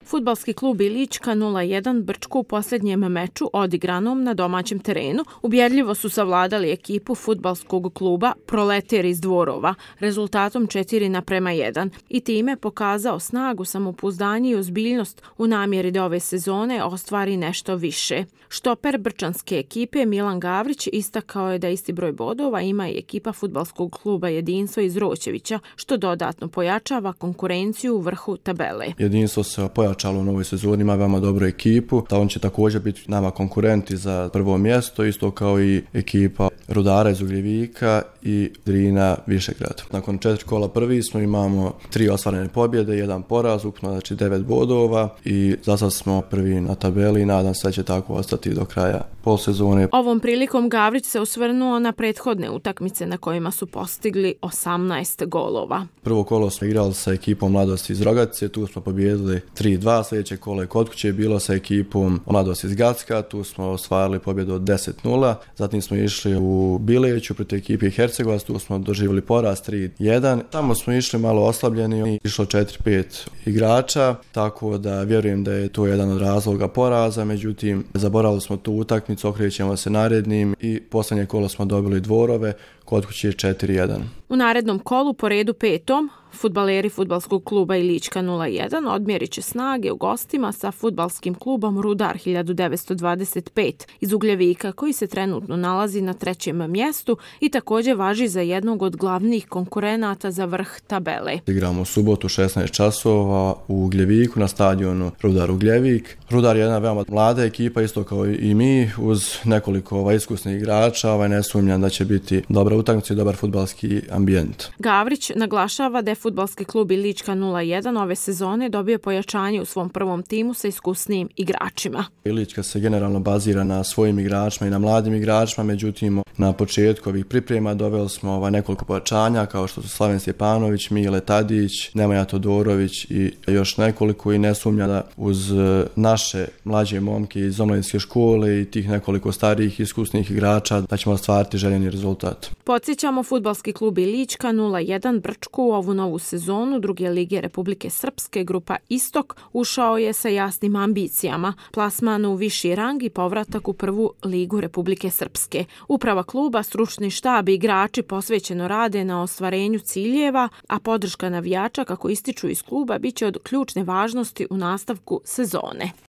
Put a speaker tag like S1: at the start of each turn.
S1: Fudbalski klub Ilička 0:1 Brčko u posljednjem meču odigranom na domaćem terenu ubjedljivo su savladali ekipu fudbalskog kluba Proleter iz Dvorova rezultatom 4:1 i time pokazao snagu, samopouzdanje i ozbiljnost u namjeri da ove sezone ostvari nešto više. Štoper brčanske ekipe Milan Gavrić istakao je da isti broj bodova ima i ekipa fudbalskog kluba Jedinstvo iz Roćevića, što dodatno pojačava konkurenciju u vrhu tabele.
S2: Jedinstvo se pojačalo u novoj sezoni, ima veoma dobru ekipu, da on će također biti nama konkurenti za prvo mjesto, isto kao i ekipa Rudara iz Ugljevika i Drina Višegrad. Nakon 4 kola prvi smo, imamo 3 ostvarene pobjede, 1 poraz, ukupno znači 9 bodova i za sad smo prvi na tabeli i nadam se da će tako ostati do kraja polsezone.
S1: Ovom prilikom Gavrić se osvrnuo na prethodne utakmice na kojima su postigli 18 golova.
S2: Prvo kolo smo igrali sa ekipom Mladosti iz Rogatice, tu smo pobijedili 3:2, sljedeće kolo je kod kuće bilo sa ekipom Mladosti iz Gacka, tu smo ostvarili pobjedu od 10:0, zatim smo išli u Bileću protiv ekipe Hercegovac, tu smo doživjeli poraz 3:1, tamo smo išli malo oslabljeni i išlo 4-5 igrača, tako da vjerujem da je to jedan od razloga poraza, međutim zaboravili smo tu utakmicu, okrećemo se narednim i posljednje kolo smo dobili Dvorove, kod kuće je 4:1.
S1: U narednom kolu po redu petom fudbaleri fudbalskog kluba Ilička 0:1 odmjerit će snage u gostima sa fudbalskim klubom Rudar 1925 iz Ugljevika, koji se trenutno nalazi na 3. mjestu i također važi za jednog od glavnih konkurenata za vrh tabele.
S2: Igramo u subotu 16 časova u Ugljeviku na stadionu Rudar Ugljevik. Rudar je jedna veoma mlada ekipa, isto kao i mi, uz nekoliko iskusnih igrača, ne sumnjam da će biti dobra utakmica i dobar fudbalski ambijent.
S1: Gavrić naglašava da je fudbalski klub Ilička 0:1 ove sezone dobio pojačanje u svom prvom timu sa iskusnijim igračima.
S2: Ilička se generalno bazira na svojim igračima i na mladim igračima, međutim na početku ovih priprema doveli smo nekoliko pojačanja kao što su Slaven Stjepanović, Mile Tadić, Nemanja Todorović i još nekoliko, i ne sumnja da uz naše mlađe momke iz omladinske škole i tih nekoliko starijih iskusnih igrača da ćemo ostvariti željeni rezultat.
S1: Podsjećamo, fudbalski klub Ilička 0:1 Brčko u ovu novu sezonu druge lige Republike Srpske grupa Istok ušao je sa jasnim ambicijama, plasman u viši rang i povratak u prvu ligu Republike Srpske. Uprava kluba, stručni štab i igrači posvećeno rade na ostvarenju ciljeva, a podrška navijača, kako ističu iz kluba, bit će od ključne važnosti u nastavku sezone.